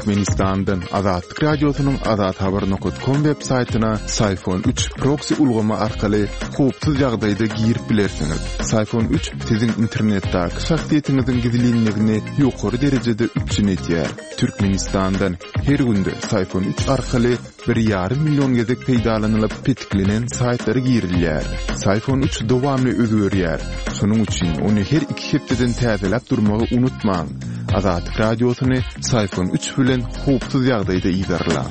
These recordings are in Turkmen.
Türkmenistandan Azatlyk Radiosynyň azathabar.com web saýtyna Syfon 3 proksi ulgamy arkaly howpsuz ýagdaýda girip bilersiňiz. Syfon 3 siziň internetdäki şahsyýetiňiziň gizlinligini ýokary derejede üpjün edýär. Türkmenistandan her günde Syfon 3 arkaly bir ýarym million gezek peýdalanylyp petiklenen saýtlara girilýär. Syfon 3 dowamly özgerýär. Şonuň üçin ony her iki hepdeden täzeläp durmagy unutmaň. Azatlyk Radiosyny Syfon 3 bilen howpsuz ýagdaýda yzarlaň.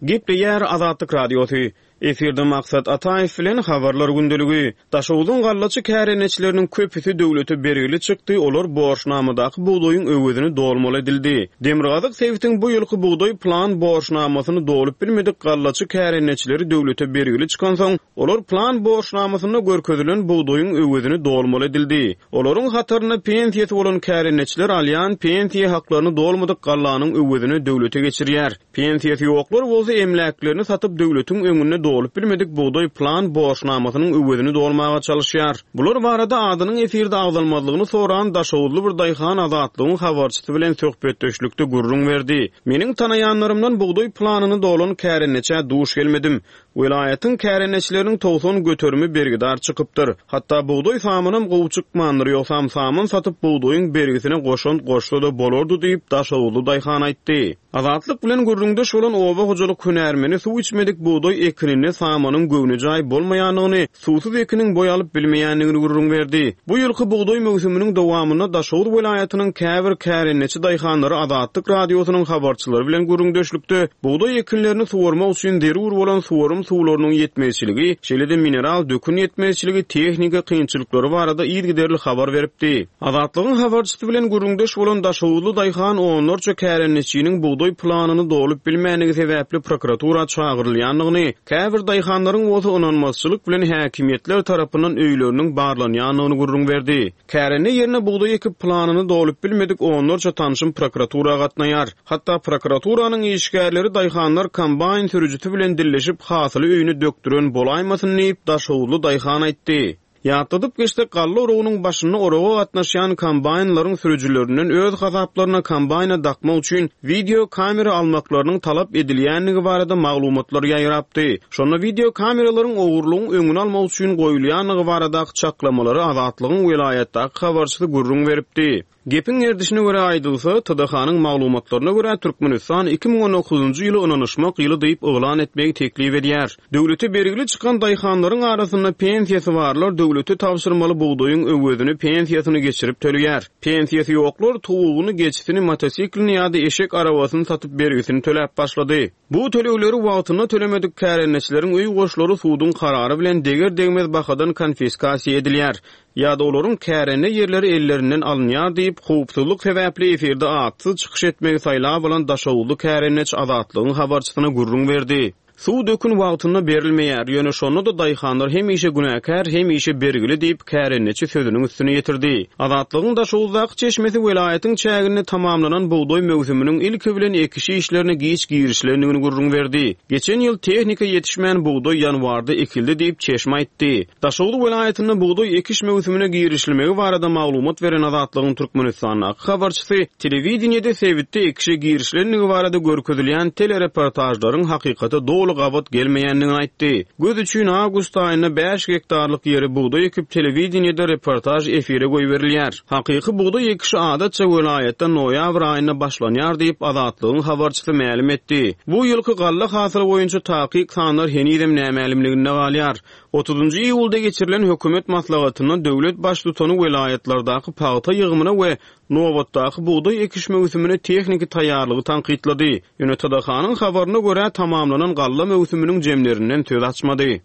Gepleýär Azatlyk Radiosy. Efirde Maksat Ataýew bilen Habarlar gündeligi. Daşoguzyň gallaçy kärendeçileriniň köpüsi döwlete bergili çykdy, olar borçnamadaky bugdaýyň öwezini dolmaly edildi. Demirgazyk sebitiň bu ýylky bugdaý plan borçnamasyny dolup bilmedik gallaçy kärendeçileri döwlete bergili çykansoň, olar plan borçnamasynda görkezilen bugdaýyň öwezini dolmaly edildi. Olaryň hatarynda pensiýasy bolan kärendeçiler alýan pensiýa haklaryny dolmadyk gallanyň öwezine döwlete geçirýär. Pensiýasy ýoklar bolsa emläklerini satyp döwletiň öňünde dolup bilmedik bugdaý plan borçnamasynyň öwezini dolmaga çalyşýar. Bular barada adynyň efirde agzalmazlygyny soran daşoguzly bir daýhan Azatlygyň habarçysy bilen söhbetdeşlikde gürrüň berdi. Meniň tanaýanlarymdan bugdaý planyny dolan kärendeçä duş gelmedim. Welaýatyň kärendeçileriniň 90 göterimi bergidar çykypdyr. Hatda bugdaý samanam gowy çykmandyr, ýogsam saman satyp bugdaýyň bergisine goşant goşsa-da bolardy diýip, daşoguzly daýhan aýtdy. Azatlyk bilen gürrüňdeş bolan oba hojalyk hünärmeni suw içmedik bugdaý ekininde samanyň göwnejaý bolmaýandygyny, suwsuz ekiniň boý alyp bilmeýändigini gürrüň berdi. Bu ýylky bugdaý möwsüminiň dowamynda Daşoguz welaýatynyň käbir kärendeçi daýhanlary Azatlyk Radiosynyň habarçylary bilen gürrüňdeşlikde bugdaý ekinlerini suwarmak üçin zerur bolan suwarym suwlarynyň ýetmezçiligi, şeýle-de mineral dökün ýetmezçiligi, tehnika kynçylyklary barada yzygiderli habar beripdi. Azatlygyň habarçysy bilen gürrüňdeş bolan daşoguzly daýhan onlarça kärendeçiniň bugdaý planyny dolup bilmändigi sebäpli prokuratura çagyrylýandygyny, käbir daýhanlaryň bolsa ynanmazçylyk bilen häkimiýetler tarapyndan öýleriniň barlanýandygyny gürrüň berdi. Kärende ýerine bugdaý ekip planyny dolup bilmedik onlarça tanşym prokuratura gatnaýar. Hatda prokuraturanyň işgärleri daýhanlar kombaýn sürüjisi bilen dilleşip hasyly öýüne dökdüren bolaýmasyn diýip, daşoguzly daýhan aýtdy. Ýatladyp geçsek, galla oragynyň başynda oraga gatnaşýan kombaýnlaryň sürüjilerinden öz hasaplaryna kombaýna dakmak üçin wideo kamera almaklarynyň talap edilýändigi barada maglumatlar ýaýrapdy. Şonda wideo kameralaryň ogurlygyň öňüni almak üçin goýulýandygy baradaky çaklamalary Azatlygyň welaýatdaky habarçysy gürrüň beripdi. Gepiň gerdişine görä aýdylsa, TDH-nyň maglumatlaryna görä, Türkmenistan 2019-njy ýyly Ynanyşmak ýyly diýip yglan etmegi teklip edýär. Döwlete bergili çykan daýhanlaryň arasynda pensiýasy barlar döwlete tabşyrmaly bugdaýyň öwezini pensiýasyny geçirip töleýär. Pensiýasy ýoklar towugyny, geçisini, motosiklini ýa-da eşek arabasyny satyp bergisini töläp başlady. Bu tölegleri wagtynda tölemedik kärendeçileriň öý goşlary suduň karary bilen deger-degmez bahadan konfiskasiýa edilýär ýa-da olaryň kärende ýerleri ellerinden alynýar diýip, howpsuzlyk sebäpli efirde atsyz çykyş etmegi saýlap alan daşoguzly kärendeçi Azatlygyň habarçysyna gürrüň berdi. Suw dökün wagtynda berilmeýär, ýöne şonda-da daýhanlar hemişe günäkär, hemişe bergili diýip, kärendeçi sözüniň üstüni ýetirdi. Azatlygyň Daşoguzdaky çeşmesi welaýatyň çäginde tamamlanan bugdaý möwsüminiň ilki bilen ekiş işlerine giç girişilendigini gürrüň berdi. Geçen ýyl tehnika ýetişmän bugdaý ýanwarda ekildi diýip, çeşme aýtdy. Daşoguz welaýatynda bugdaý ekiş möwsümine girişilmegi barada maglumat beren Azatlygyň Türkmenistandaky habarçysy telewideniýede sebitde ekişe girişilendigi barada görkezilýän telereportažlaryň hakykata doly gabat gelmeýändigini aýtdy. Göz üçin awgust aýynda bäş gektarlyk ýere bugdaý ekip telewideniýede reportaž efire goýberilýär. Hakyky bugdaý ekişi adatça welaýatda noýabr aýynda başlanýar diýip, Azatlygyň habarçysy mälim etdi. Bu ýylky galla hasyly boýunça takyk sanlar henizem nämälimliginde galýar. Otuzynjy iýulda geçirilen hökümet maslahatynda döwlet Baştutany welaýatlardaky pagta ýygymyna we nobatdaky bugdaý ekiş möwsümine tehniki taýýarlygy tankytlady. Ýöne TDH-nyň habaryna görä, tamamlanan galla möwsüminiň jemlerinden söz açmady.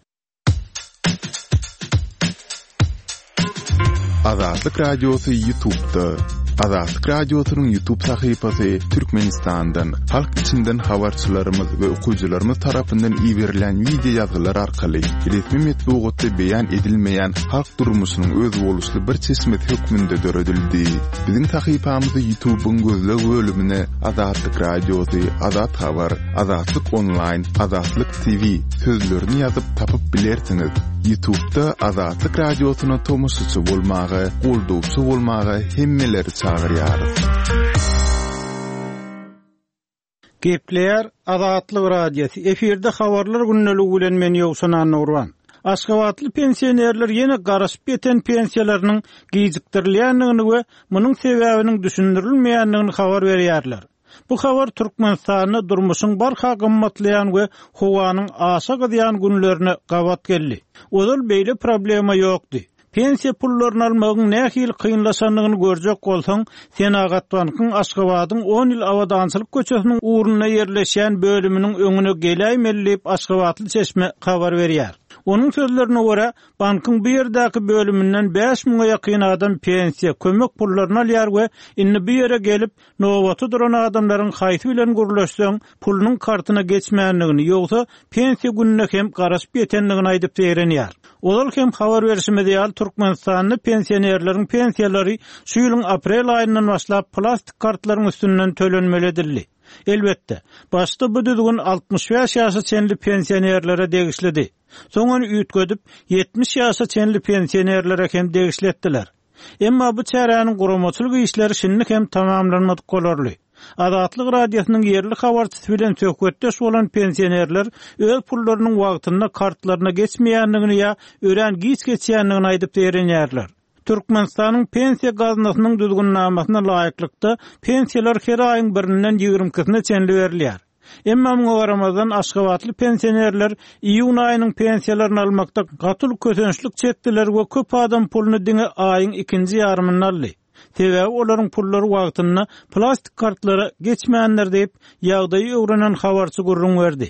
Azatlyk Radiosy YouTube'da. Azatlyk Radiosynyň YouTube sahypasy Türkmenistandan, halk içinden habarçylarymyz we okyjylarymyz tarapyndan iberilen wideo ýazgylar arkaly resmi metbugatda beýan edilmeýän halk durmuşynyň özboluşly bir çeşmesi hökmünde döredildi. Biziň sahypamyzy YouTube'yň gözleg bölümine Azatlyk Radiosy, Azat Habar, Azatlyk Onlaýn, Azatlyk TV sözlerini ýazyp tapyp bilersiňiz. Ýutubda Azatlyk Radiosyna tomaşaçy bolmaga, goldawçy bolmaga hemmeleri çagyrýarys. Gepleýär Azatlyk Radiosy, efirde Habarlar gündeligi bilen men Ýowşan Annagurban. Aşgabatly pensionerler ýene garaşyp ýeten pensiýalarynyň gijikdirilýändigini we munuň sebäbiniň düşündirilmeýändigini habar berýärler. Bu habar Türkmenistanda durmuşyň barha gymmatlaýan we howanyň aşa gyzýan günlerine gabat geldi. Ozal beýle problema ýokdy. Pensiýa pullaryny almagyň nähili kynlaşandygyny görjek bolsaň, Senagatbankyň Aşgabadyň On ýyl Abadançylyk köçesiniň ugrunda ýerleşýän bölüminiň öňüne geläýmeli diýip, aşgabatly çeşme habar berýär. Onuň sözlerine görä, bankyň bu ýerdäki bölüminden bäş müňe ýakyn adam pensiýa, kömek pullaryny alýar we indi bu ýere gelip, Nobata duran adamlaryň haýsy bilen gürleşseň, pulunyň kartyna geçmändigini, ýogsa pensiýa gününe hem garaşyp ýetendigini aýdyp zeýrenýär. Ozal hem habar berşimiz ýaly, Türkmenistanda pensionerleriň pensiýalary şu ýylyň aprel aýyndan başlap plastik kartlaryň üstünden tölenmeli edildi. Elbetde, başda bu düzgün 65 ýaşa çenli pensionerlere degişlidi. Soň ony üýtgedip, 70 ýaşa çenli pensionerlere hem degişli etdiler. Emma bu çäräniň guramaçylyk işleri şindi hem tamamlanmadyk bolarly. Azatlyk Radiosynyň ýerli habarçysy bilen söhbetdeş bolan pensionerler öz pullarynyň wagtynda kartlaryna geçmeýändigini ýa örän giç geçýändigini aýdyp zeýrenýärler. Türkmenistanyň Pensiýa gaznasynyň düzgünnamasyna laýyklykda, pensiýalar her aýyň birinden ýigrimi ikisine çenli berilýär. Emma muňa garamazdan, aşgabatly pensionerler iýun aýynyň pensiýalaryny almakda gaty uly kösençlik çekdiler we köp adam puluny diňe aýyň ikinji ýarymynda aldy. Sebäbi olaryň pullary wagtynda plastik kartlara geçmändir diýip, ýagdaýy öwrenen habarçy gürrüň berdi.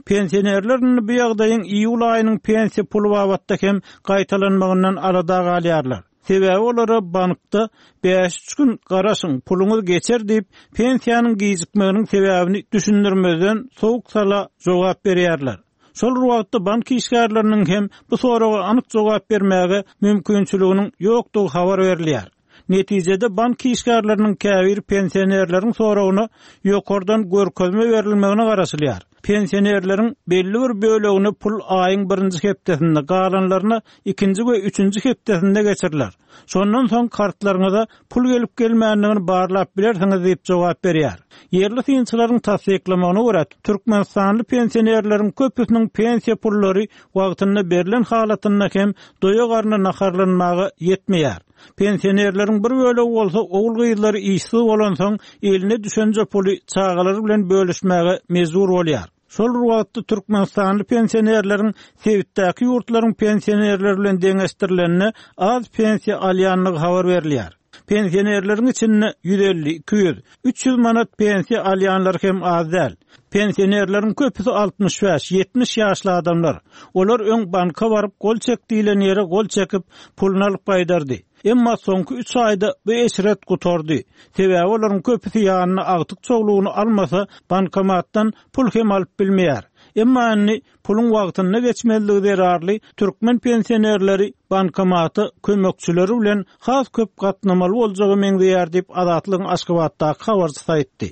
Pensionerler indi bu ýagdaýyň iýul aýynyň pensiýa puly babatda hem gaýtalanmagyndan alada galýarlar. Sebäbi olara bankda bäş-üç gün garaşyň, puluňyz geçer diýip, pensiýanyň gijikmeginiň sebäbini düşündirmezden sowuk-sala jogap berýärler. Şol bir wagtda bank işgärleriniň hem bu soraga anyk jogap bermäge mümkinçiliginiň ýokdugy habar berilýär. Netijede bank işgärleriniň käbiri pensionerleriň soragyna ýokardan görkezme berilmegine garaşylýar. Pensionerleriň belli bir bölegine pul aýyň birinji hepdesinde, galanlaryna ikinji we üçünji hepdesinde geçiriler. Şondan soň kartlaryňyza pul gelip-gelmändigini barlap bilersiňiz diýip jogap berýär. Ýerli synçylaryň tassyklamagyna görä, türkmenistanly pensionerleriň köpüsiniň pensiýa pullary wagtynda berlen halatynda hem doýa garna naharlanmaga ýetmeýär. Pensionerleriň bir bölegi bolsa ogul-gyzlary işsiz bolansoň, eline düşenje puly çagalary bilen bölüşmäge mejbur bolýar. Şol bir wagtda türkmenistanly pensionerleriň sebitdäki ýurtlaryň pensionerleri bilen deňeşdirilende az pensiýa alýandygy habar berilýär. Pensionerleriň içinde 150, 200, 300 manat pensiýa alýanlar hem az däl. Pensionerleriň köpüsi 65, 70 ýaşly adamlar. Olar öň banka baryp gol çek diýlen ýere gol çekip, puluny alyp gaýdardy. Emma soňky üç aýda bu eşret gutardy. Sebäbi olaryň köpüsi ýanyna agtyk-çowlugyny almasa, bankomatdan pul hem alyp bilmeýär. Emma indi puluň wagtynda geçmezligi zerarly türkmen pensionerleri bankomata kömekçileri bilen has köp gatnamaly boljaga meňzeýär diýip, Azatlygyň Aşgabatdaky habarçysy aýtdy.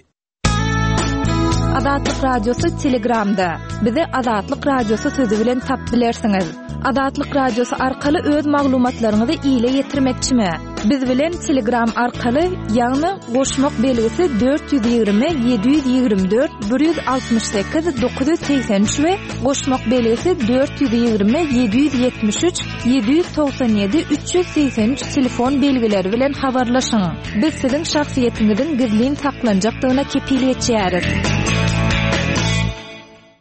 Azatlyk Radiosy Telegramda. Bizi Azatlyk Radiosy sözi bilen tap bilersiňiz. Azatlyk Radiosy arkaly öz maglumatlaryňyzy ile ýetirmekçimi? Biz bilen Telegram arkaly, ýagny goşmak belgisi 420 724 168 983 we goşmak belgisi 420 773 797 383 telefon belgileri bilen habarlaşyň. Biz siziň şahsyýetiňiziň gizlin saklanjakdygyna kepil geçýäris.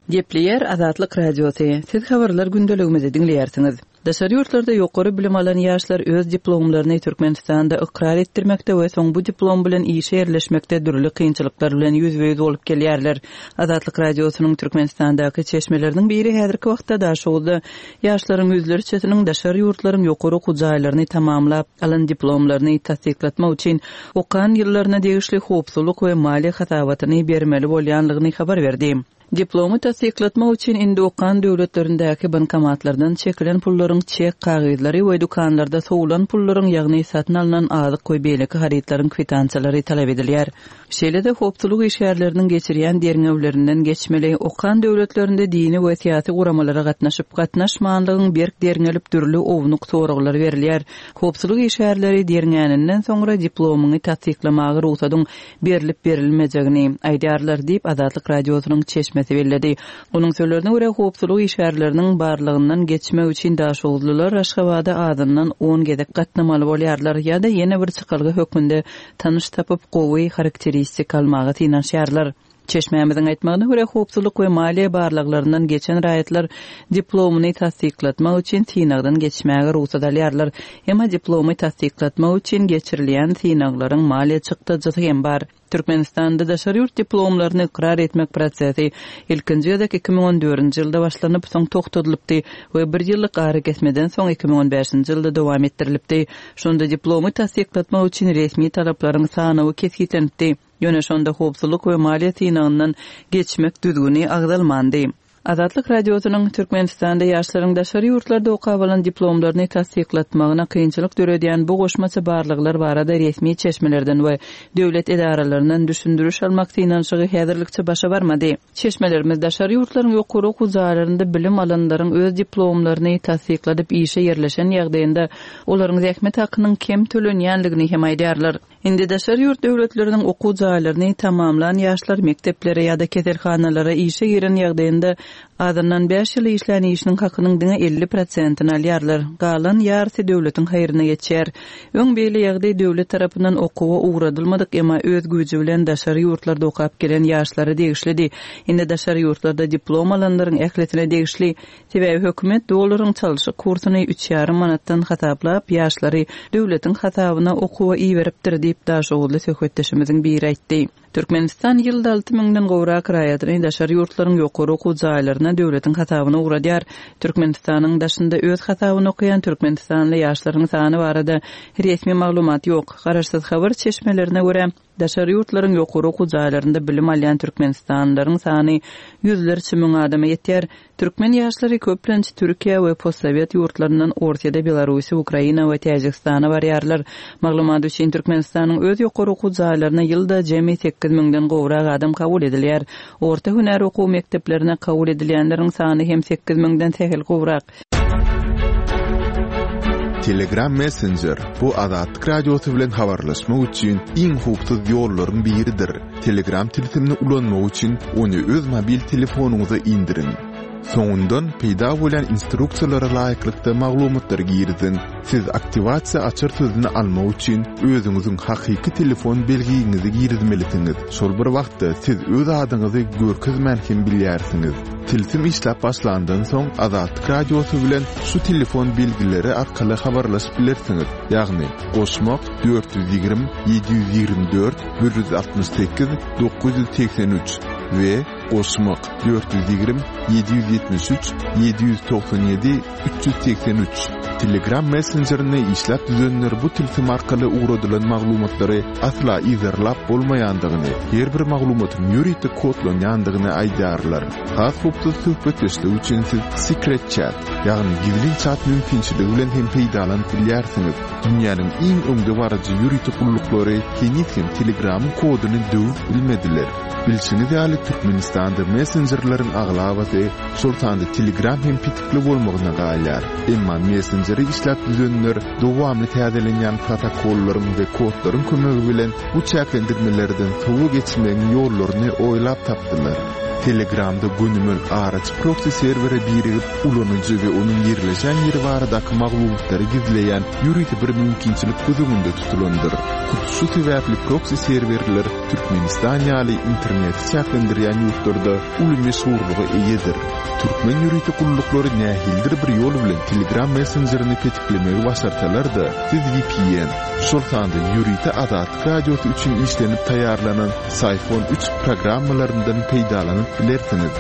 Gepleýär Azatlyk Radiosy, Siz habarlar gündeligimizi diňleýärsiňiz. Daşary ýurtlarda ýokary bilim alan ýaşlar öz diplomlaryny Türkmenistanda ykrar etdirmekde we soň bu diplom bilen işe ýerleşmekde dürli kynçylyklar bilen ýüzbe-ýüz bolup gelýärler. Azatlyk Radiosynyň Türkmenistandaky çeşmeleriniň biri häzirki wagtda Daşoguzda Ýaşlaryň ýüzlerçesiniň daşary ýurtlaryň ýokary okuw jaýlaryny tamamlap, alan diplomlaryny tassyklatmak üçin okan ýyllaryna degişli howpsuzlyk we maliýe hasabatyny bermeli bolýanlygyny habar berdi. Diplomy tassyklatmak üçin indi okan döwletlerindäki bankomatlardan çekilen pullaryň çek kagyzlary we dükanlarda sowulan pullaryň, ýagny satyn alnan azyk we beýleki harytlaryň kwitansiýalary talap edilýär. Şeýle-de howpsuzlyk işgärleriniň geçirýän derňewlerinden geçmeli, okan döwletlerinde dini we syýasy guramalara gatnaşyp, gatnaşmanlygyň berk derňelip dürli ownuk soraglar berilýär. Howpsuzlyk işgärleri derňäninden soňra diplomyňy tassyklamaga rugsadyň berlip-berilmejegini aýdarlar diýip, Azatlyk Radiosynyň çeşmesi belledi. Onuň sözlerine görä, howpsuzlyk işgärleriniň barlagyndan geçmek üçin daşoguzlylar Aşgabada azyndan on gezek gatnamaly bolýarlar ýa-da ýene bir çykalga hökmünde tanyş tapyp, gowy harakteristika almaga synanyşýarlar. Çeşmämiziň aýtmagyna görä, howpsuzlyk we maliýe barlaglaryndan geçen raýatlar diplomyny tassyklatmak üçin synagdan geçmäge rugsat alýarlar. Emma diplomy tassyklatmak üçin geçirilýän synaglaryň maliýe çykdajysy hem bar. Türkmenistanda daşary ýurt diplomlaryny ykrar etmek prosesi ilkinji gezek 2014-nji ýylda başlanyp, soň togtadylypdy we bir ýyllyk arakesmeden soň 2015-nji ýylda dowam etdirilipdi. Şonda diplomy tassyklatmak üçin resmi talaplaryň sanawy kesgitlenipdi. Ýöne şonda howpsuzlyk we maliýe synagyndan geçmek düzgüni agzalmandy. Azatlyk Radiosynyň Türkmenistanda ýaşlaryň daşary ýurtlarda okap alan diplomlaryny tassyklatmagyna kynçylyk döredýän bu goşmaça barlaglar barada resmi çeşmelerden we döwlet edaralaryndan düşündiriş almak synanyşygy häzirlikçe başa barmady. Çeşmelerimiz daşary ýurtlaryň ýokary okuw jaýlarynda bilim alanlaryň öz diplomlaryny tassykladyp işe ýerleşen ýagdaýynda olaryň zähmet hakynyň kem tölenýänligini hem aýdýarlar. Indi daşary ýurt döwletleriniň okuw jaýlaryny tamamlan ýaşlar mekdeplere ýa-da keselhanalara işe giren ýagdaýynda azyndan bäş ýyl işlän işiniň hakynyň diňe 50 prosentini alýarlar. Galan ýarysy döwletiň haýryna geçýär. Öň beýle ýagdaý döwlet tarapyndan okuwa ugradylmadyk, emma öz güýji bilen daşary ýurtlarda okap gelen ýaşlara degişlidi. Indi daşary ýurtlarda diplom alanlaryň ählisine degişli. Sebäbi hökümet dollaryň çalşyk kursuny üç ýarym manatdan hasaplap, ýaşlary döwletiň hasabyna okuwa iberipdir diýip, daşoguzly söhbetdeşimiziň biri aýtdy. Türkmenistan ýylda alty müňden gowrak raýatyny daşary ýurtlaryň ýokary okuw jaýlaryna döwletiň hasabyna ugradýar. Türkmenistanyň daşynda öz hasabyna okaýan türkmenistanly ýaşlaryň sany barada resmi maglumat ýok. Garaşsyz habar çeşmelerine görä, Daşary ýurtlaryň ýokary okuw jaýlarynda bilim alýan türkmenistanlylaryň sany ýüzlerçe müň adama ýetýär. Türkmen ýaşlary köplenç Türkiýä we postsowet ýurtlaryndan Orsýede, Belarusiýa, Ukraina we Täjigistana barýarlar. Maglumat üçin, Türkmenistanyň öz ýokary okuw jaýlaryna ýylda jemi sekiz müňden gowrak adam kabul edilýär. Orta hünär okuw mekdeplerine kabul edilýänleriň sany hem sekiz müňden sähel gowrak. Telegram Messenger, bu Azatlyk Radiosy bilen habarlaşmak üçin iň howpsuz ýollaryň biridir. Telegram tilsimini ulanmak üçin ony öz mobil telefonyňyza indiriň. Soňundan peýda bolýan instruksiýalara laýyklykda maglumatlary giriziň. Siz aktiwasiýa açar sözüni almak üçin özüňiziň hakyky telefon belgiňizi girizmelisiňiz. Şol bir wagtda siz öz adyňyzy görkezmän hem bilýärsiňiz. Tilsim işläp başlandan soň Azatlyk Radiosy bilen şu telefon belgileri arkaly habarlaşyp bilersiňiz, ýagny, goşmak, 420 724 168 983 we goşmak, 420 773 797 383. Telegram messenjerini işläp düzenler bu tilsim arkaly ugradylan maglumatlary asla yzarlap bolmaýandygyny, her bir maglumatyň ýörite kodlanýandygyny aýdýarlar. Has howpsuz söhbetdeşlik üçin siz Secret Chat, ýagny gizlin çat mümkinçiligi bilen hem peýdalanyp bilýärsiňiz. Dünýäniň iň öňdebaryjy ýörite gulluklary heniz hem Telegramyň koduny döwüp bilmediler. Bilşiňiz ýaly, Türkmenistanda messenjerleriň aglabasy, şol sanda Telegram hem petikli bolmagyna galýar. Emma messenjeri işläp düzenler dowamly täzelenýän protokollaryň we kodlaryň kömegi bilen bu çäklendirmelerden sowa geçmegiň ýollaryny oýlap tapdylar. Telegramda gönümel araçy proksi serwere birigip, ulanyjy we onuň ýerleşen ýeri baradaky maglumatlary gizleýän ýörite bir mümkinçilik göz öňünde tutulandyr. Hut şu sebäpli proksi serwerler Türkmenistan ýaly interneti çäklendirýän ýurtlarda uly meşhurlyga eýedir. Türkmen ýörite gulluklary nähilidir bir ýol bilen Telegram messenjerini petiklemegi başarsalar-da, siz vpn, şol sanda ýörite Azatlyk Radiosy üçin işlenip taýýarlanan Syphon üç programmalaryndan peýdalanyp bilersiňiz.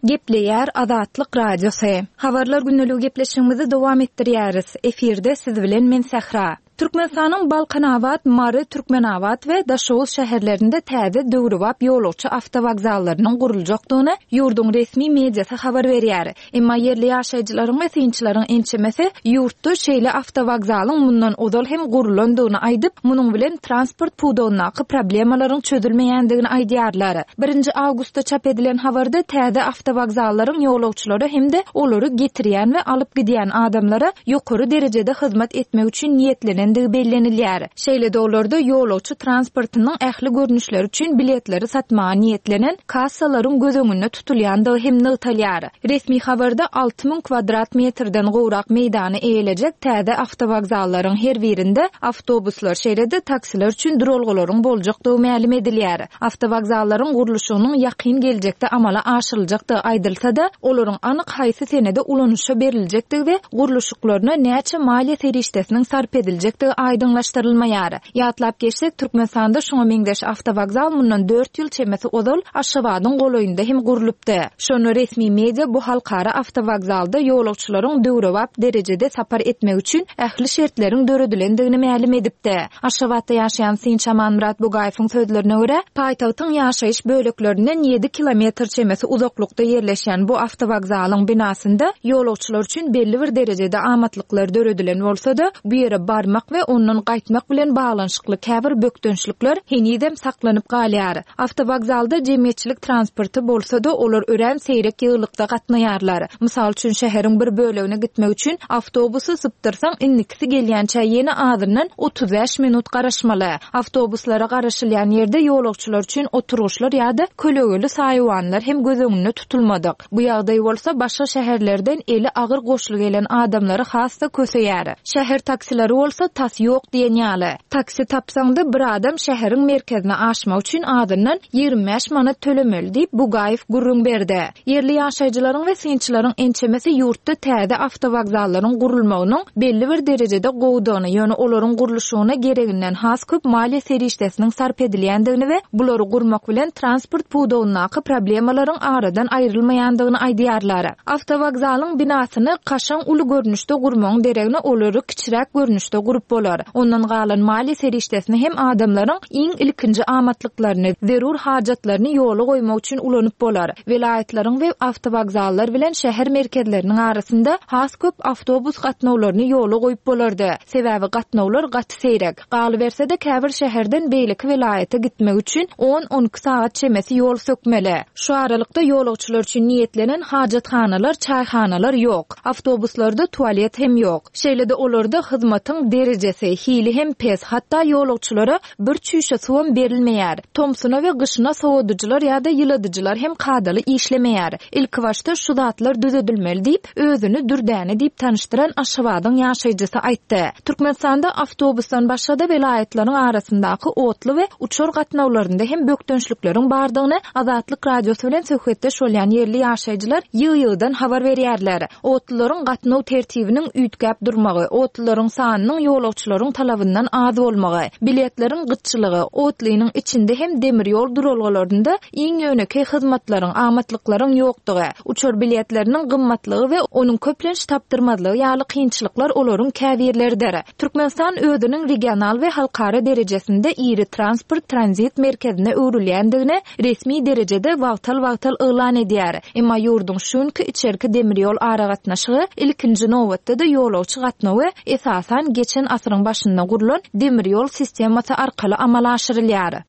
Gepleýär Azatlyk Radiosy. Habarlar gündeligi gepleşigimizi dowam etdirýäris. Efirde siz bilen men Sähra. Türkmenistanyň Balkanabat, Mary, Türkmenabat we Daşoguz şäherlerinde täze döwrebap ýolagçy awtowokzallarynyň guruljakdygyny ýurduň resmi mediasy habar berýär. Emma ýerli ýaşaýjylaryň we synçylaryň ençemesi ýurtda şeýle awtowokzalyň mundan ozal hem gurlandygyny aýdyp, munuň bilen transport pudagyndaky problemalaryň çözülmeýändigini aýdýarlar. Birinji awgustda çap edilen habarda täze awtowokzallaryň ýolagçylara hem-de olary getirýän we alyp gidýän adamlara ýokary derejede hyzmat etmek üçin niýetlenendigi bellenilýär. Şeýle-de olarda ýolagçy transportynyň ähli görnüşleri üçin biletleri satmaga niýetlenen kassalaryň göz öňünde tutulýandygy hem nygtalýar. Resmi habarda 6000 kwadrat metrden gowrak meýdany eýelejek täze awtowokzallaryň her birinde awtobuslar, şeýle-de taksiler üçin duralgalaryň boljakdygy mälim edilýär. Awtowokzallaryň gurluşygynyň ýakyn geljekde amala aşyryljakdygy aýdylsa-da, olaryň anyk haýsy senede ulanyşa beriljekdigi we gurluşyklaryna näçe maliýe serişdesiniň sarp ediljekdigi aýdyňlaşdyrylmaýar. Ýatlap geçsek, Türkmenistanda şuňa meňzeş awtowokzal mundan dört ýyl çemesi ozal Aşgabadyň golaýynda hem gurlupdy. Şonda resmi media bu halkara awtowokzalda ýolagçylaryň döwrebap derejede sapar etmegi üçin ähli şertleriň döredilendigini mälim edipdi. Aşgabatda ýaşaýan synçy Amanmyrat Bugaýewiň sözlerine görä, paýtagtyň ýaşaýyş böleklerinden ýedi kilometr çemesi uzaklykda ýerleşýän bu awtowokzalyň binasynda ýolagçylar üçin belli bir derejede amatlyklar döredilen bolsa-da, bu ýere barmak we ondan gaýtmak bilen baglanyşykly käbir bökdençlikler henizem saklanyp galýar. Awtowokzalda jemgyýetçilik transporty bolsa-da, olar örän seýrek ýygylykda gatnaýarlar. Mysal üçin, şäheriň bir bölegine gitmek üçin awtobusy sypdyrsaň, indikisi gelýänçä ýene azyndan 35 minut garaşmaly. Awtobuslara garaşylýan ýerde ýolagçylar üçin oturgyçlar ýa-da kölegeli saýawanlar hem göz öňünde tutulmadyk. Bu ýagdaý bolsa başga şäherlerden eli agyr goşly gelen adamlary has-da köseýär. Şäher taksileri bolsa tas ýok diýen ýaly. Taksi tapsaň-da bir adam şäheriň merkezine aşmak üçin azyndan 25 manat tölemeli diýip, Bugaýew gürrüň berdi. Ýerli ýaşaýjylaryň we synçylaryň ençemesi ýurtda täze awtowokzallaryň gurulmagynyň belli bir derejede gowudygyny, ýöne olaryň gurluşygyna gereginden has köp maliýe serişdesiniň sarp edilýändigini we bulary gurmak bilen transport pudagyndaky problemalaryň aradan aýrylmaýandygyny aýdýarlar. Awtowokzalyň binasyny kaşaň uly görnüşde gurmagyň deregine olary kiçiräk görnüşde gurup bolar. Ondan galan maliýe serişdesini hem adamlaryň iň ilkinji amatlyklaryny, zerur hajatlaryny ýola goýmak üçin ulanyp bolar. Welaýatlaryň we awtowokzallar bilen şäher merkezleriniň arasynda has köp awtobus gatnawlaryny ýola goýup bolardy. Sebäbi gatnawlar gaty seýrek. Galyberse-de, käbir şäherden beýleki welaýata gitmek üçin on-on iki sagat çemesi ýol sökmeli. Şu aralykda ýolagçylar üçin niýetlenen hajathanalar, çaýhanalar ýok. Awtobuslarda tualet hem ýok. Şeýle-de olarda hyzmatyň derejesi, hili hem pes, hatda ýolagçylara bir çüýşe suwam berilmeýär. Tomsuna we gyşyna sowadyjylar ýa-da ýyladyjylar hem kadaly işlemeýär. Ilkibaşda şu zatlar düzedilmeli diýip, özüni Dürdäne diýip tanyşdyran Aşgabadyň ýaşaýjysy aýtdy. Türkmenistanda awtobusdan başga-da welaýatlaryň arasyndaky otly we uçar gatnawlarynda hem bökdençlikleriň bardygyny Azatlyk Radiosy bilen söhbetdeş bolýan ýerli ýaşaýjylar ýygy-ýygydan habar berýärler. Otlularyň gatnaw tertibiniň üýtgäp durmagy, otlularyň sanynyň ýolagçylaryň talabyndan az bolmagy, biletleriň gytçylygy, otlynyň içinde hem demir ýol duralgalarynda iň ýönekeý hyzmatlaryň, amatlyklaryň ýokdugy, uçar biletleriniň gymmatlygy we onuň köplenç tapdyrmazlygy ýaly kynçylyklar olaryň käbirleridir. Türkmenistan özüniň regional we halkara derejesinde iri transport-tranzit merkezine öwrülýändigini resmi derejede wagtal-wagtal yglan edýär. Emma ýurduň şu günki içerki demir ýol aragatnaşygy, ilkinji nobatda-da ýolagçy gatnawy, esasan, geçen asyryň başynda gurlan demir ýol sistemasy arkaly amala aşyrylýar.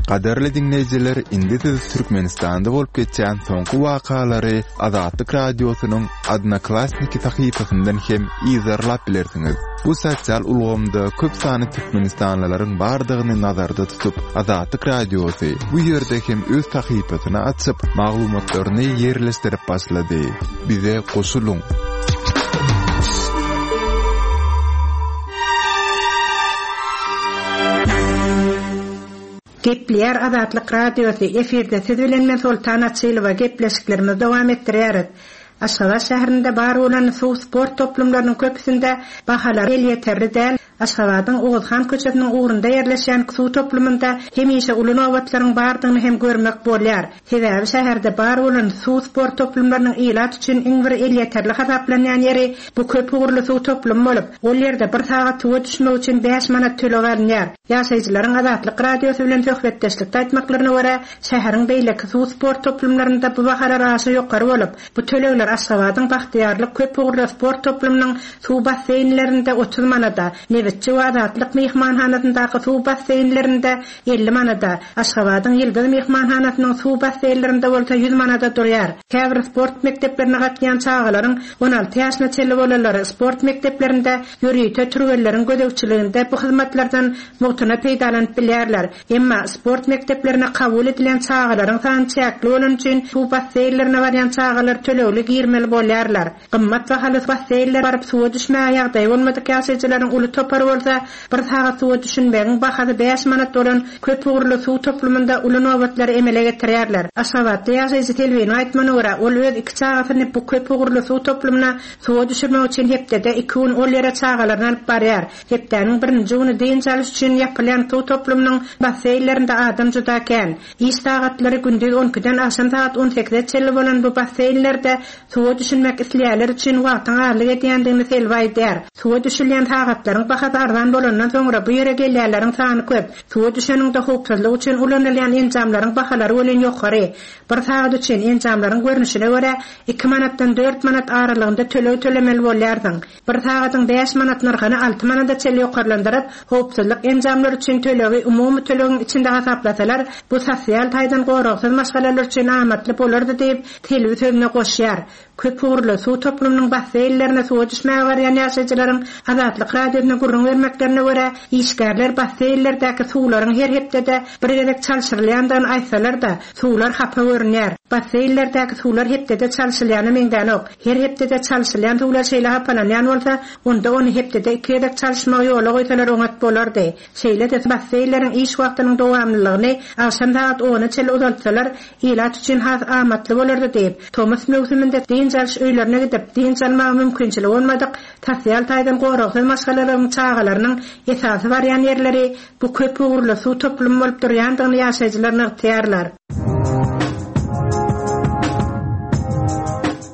Gadyrly diňleýjiler, indi siz Türkmenistanda bolup geçýän soňky wakalary Azatlyk Radiosynyň Odnoklassniki sahypasyndan hem yzarlap bilersiňiz. Bu sosial ulgamda köp sanly türkmenistanlylaryň bardygyny nazarda tutup, Azatlyk Radiosy bu ýerde hem öz sahypasyny açyp, maglumatlaryny ýerleşdirip başlady. Bize goşulyň! Gepleýär Azatlyk Radiosy, efirde siz bilen men Soltan Açylowa gepleşiklerimizi dowam etdirýäris. Aşgabat şäherinde bar bolan suw sport toplumlarynyň köpüsinde bahalar elýeterli däl. Aşgabadyň Oguzhan köçesiniň ugrunda ýerleşýän suw toplumynda hemişe uly nobatlaryň bardygyny hem görmek bolýar. Sebäbi şäherde bar bolan suw sport toplumlarynyň ilat üçin iň bir elýeterli hasaplanýan ýeri bu köp ugurly suw toplumy bolup, ol ýerde bir sagat suwa düşmek üçin bäş manat töleg alynýar. Ýaşaýjylaryň Azatlyk Radiosy bilen söhbetdeşlikde aýtmaklaryna görä, şäheriň beýleki suw sport toplumlarynda bu bahalar aşa ýokary bolup, bu tölegler Aşgabadyň Bagtyýarlyk köp ugurly sport toplumynyň suw basseýnlerinde 30 manada, Nebitçi we Azatlyk myhmanhanasyndaky suw basseýnlerinde 50 manada, Aşgabadyň Ýyldyz myhmanhanasynyň suw basseýnlerinde bolsa 100 manada durýar. Käbir sport mekdeplerine gatnaýan çagalaryň 16 ýaşyna çenli bolanlary sport mekdeplerinde ýörite türgenleriň gözegçiliginde bu hyzmatlardan mugtuna peýdalanyp bilýärler. Emma sport mekdeplerine kabul edilen çagalaryň sany çäkli bolany üçin suw basseýnlerine barýan çagalar tölegli girmeli bolýarlar. Gymmat bahaly basseýnlere baryp suwa düşmäge ýagdaýy bolmadyk ýaşaýjylaryň uly topary bolsa bir sagat suwa düşünmegiň bahasy bäş manat bolan köp ugurly suw toplumynda uly nobatlary emele getirýärler. Aşgabatda ýaşaýjy Selbiniň aýtmagyna görä, ol öz iki çagasyny bu köp ugurly suw toplumyna suwa düşürmek üçin hepdede iki gün ol ýere çagalaryny alyp barýar. Hepdäniň birinji güni dynç alyş üçin ýapylýan suw toplumynyň basseýnlerinde adam juda kän. Iş sagatlary gündiz on ikiden agşam sagat on sekize çenli bolan bu basseýnlerde suwa düşünmek isleýänler üçin wagtyň azlyk edýändigini Selbi aýdýar. Suwa düşülýän sagatlaryň bahasy arzan bolandan soňra bu ýere gelýänleriň sany köp. Suwa düşeniňde howpsuzlyk üçin ulanylýan enjamlaryň bahalary welin ýokary. Bir sagat üçin, enjamlaryň görnüşine görä, iki manatdan dört manat aralygynda töleg tölemeli bolýarsyň. Bir sagadyň bäş manat nyrhyny alty manada çenli ýokarlandyryp, howpsuzlyk enjamlary üçin tölegi umumy tölegiň içinde hasaplasalar, bu sosial taýdan goragsyz maşgalalar üçin amatly bolardy diýip, Selbi sözüne goşýar. Köpugurly suw toplumynyň basseýnlerine suwa düşmäge barýan ýaşaýjylaryň Azatlyk Radiosyna gürrüň bermeklerine görä, işgärler basseýnlerdäki suwlaryň her hepdede bir gezek çalşyrylýandygyny aýtsalar-da, suwlar hapa görünýär. Basseýnlerdäki suwlar hepdede çalşylýana meňzänok. Her hepdede çalşylýan suwlar şeýle hapalanýan bolsa, onda ony hepdede iki gezek çalyşmagy ýola goýsalar oňat bolardy. Şeýle-de basseýnleriň iş wagtynyň dowamlylygyny agşam sagat ona çenli uzaltsalar, ilat üçin has amatly bolardy diýip, tomus möwsüminde dynç alyş öýlerine gidip, dynç almaga mümkinçiligi bolmadyk sosial taýdan goragsyz maşgalalaryň çagalarynyň esasy barýan ýerleri bu köp ugurly suw toplumy bolup durýandygyny ýaşaýjylar nygtaýarlar.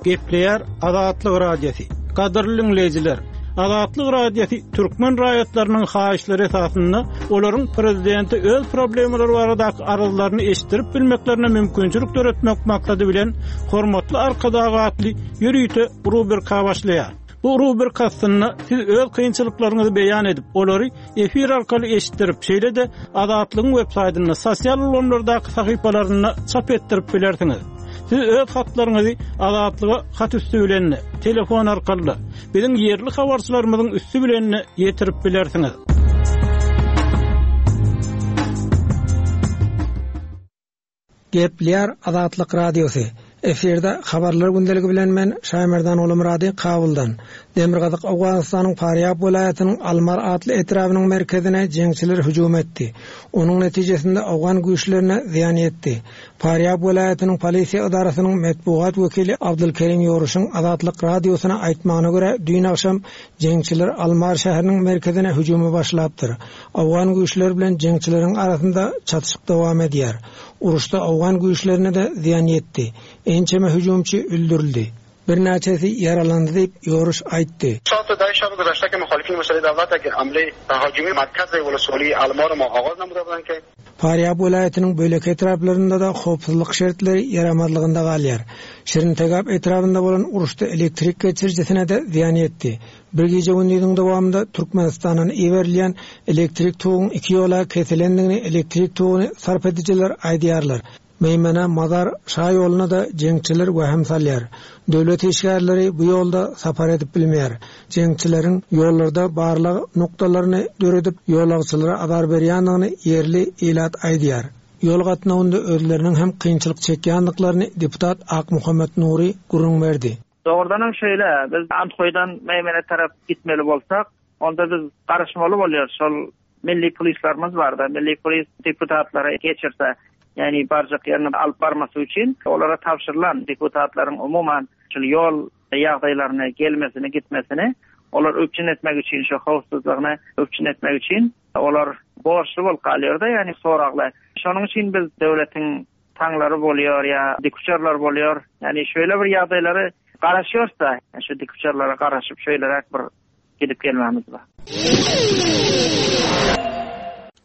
Gepleýär Azatlyk Radiosy. Gadyrly diňleýjiler, Azatlyk Radiosy türkmen raýatlarynyň haýyşlary esasynda olaryň prezidente öz problemalary baradaky arzlaryny eşitdirip bilmeklerine mümkinçilik döretmek maksady bilen Hormatly Arkadag atly ýörite rubrika başlaýar. Bu rubrika astynda siz öz kynçylyklaryňyzy beýan edip, olary efir arkaly eşitdirip, şeýle-de Azatlygyň web saýtynda, sosial ulgamlardaky sahypalarynda çap etdirip bilersiňiz. Siz öz hatlaryňyzy Azatlyga hat üsti bilen-de, telefon arkaly-da, biziň ýerli habarçylarymyzyň üsti bilen-de ýetirip bilersiňiz. Gepleýär Azatlyk Radiosy. Efirde Habarlar gündeligi bilen men Şaýmerdan Gulumyrady Kabuldan. Demirgazyk Owganystanyň Farýab welaýatynyň Almar atly etrabynyň merkezine jeňçiler hüjüm etdi. Onuň netijesinde owgan güýçlerine zyýan ýetdi. Farýab welaýatynyň polisiýa edarasynyň metbugat wekili Abdulkerim Ýoruşyň Azatlyk Radiosyna aýtmagyna görä, düýn agşam jeňçiler Almar şäheriniň merkezine hüjümi başlapdyr. Owgan güýçleri bilen jeňçileriň arasynda çatyşyk dowam edýär. Uruşda owgan güýçlerine-de zyýan ýetdi. Ençeme hüjümçi öldürildi. Birnäçesi ýaralandy diýip, Ýoruş aýtdy. Farýab welaýatynyň beýleki etraplarynda-da howpsuzlyk şertleri ýaramazlygynda galýar. Şirintegap etrabynda bolan uruşda elektrik geçirijisine-de zyýan ýetdi. Bir gije-gündiziň dowamynda Türkmenistandan iberilýän elektrik toguň iki ýola kesilendigini elektrik toguny sarp edijiler aýdýarlar. Meýmene, Mazar şaýoluna-da jeňçiler wehim salýar. Döwlet işgärleri bu ýolda sapar edip bilmeýär. Jeňçileriň ýollarda barlag nokdalaryny döredip, ýolagçylara azar berýändigini ýerli ilat aýdýar. Ýol gatnawynda özleriniň hem kynçylyk çekýändiklaryny deputat Akmuhammet Nury gürrüň berdi. Dogrudanam şeýle, biz Andhoýdan Meýmene tarap gitmeli bolsak, onda biz garaşmaly bolýarys, şol milli polislerimiz barda, milli polis deputatlary geçirse, ýagny barjak ýerine alyp barmasy üçin olara tabşyrylan deputatlaryň umuman şol ýol ýagdaýlaryny, gelmesini, gitmesini. Olar üpjün etmek üçin şu howpsuzlygyny üpjün etmek üçin olar borçly bolup galýar-da, ýagny soragly. Şonuň üçin biz döwletiň taňlary bolýar ýa dikuçarlar bolýar. Ýagny şeýle bir ýagdaýlary garaşýarys-da, şu dikuçarlara garaşyp şeýleräk bir gidip gelmämiz bar.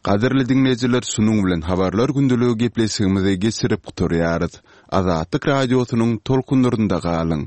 Gadyrly diňleýjiler şunuň bilen Habarlar gündeligi gepleşigimizi geçirip gutarýarys. Azatlyk Radiosynyň tolkunlarynda galyň!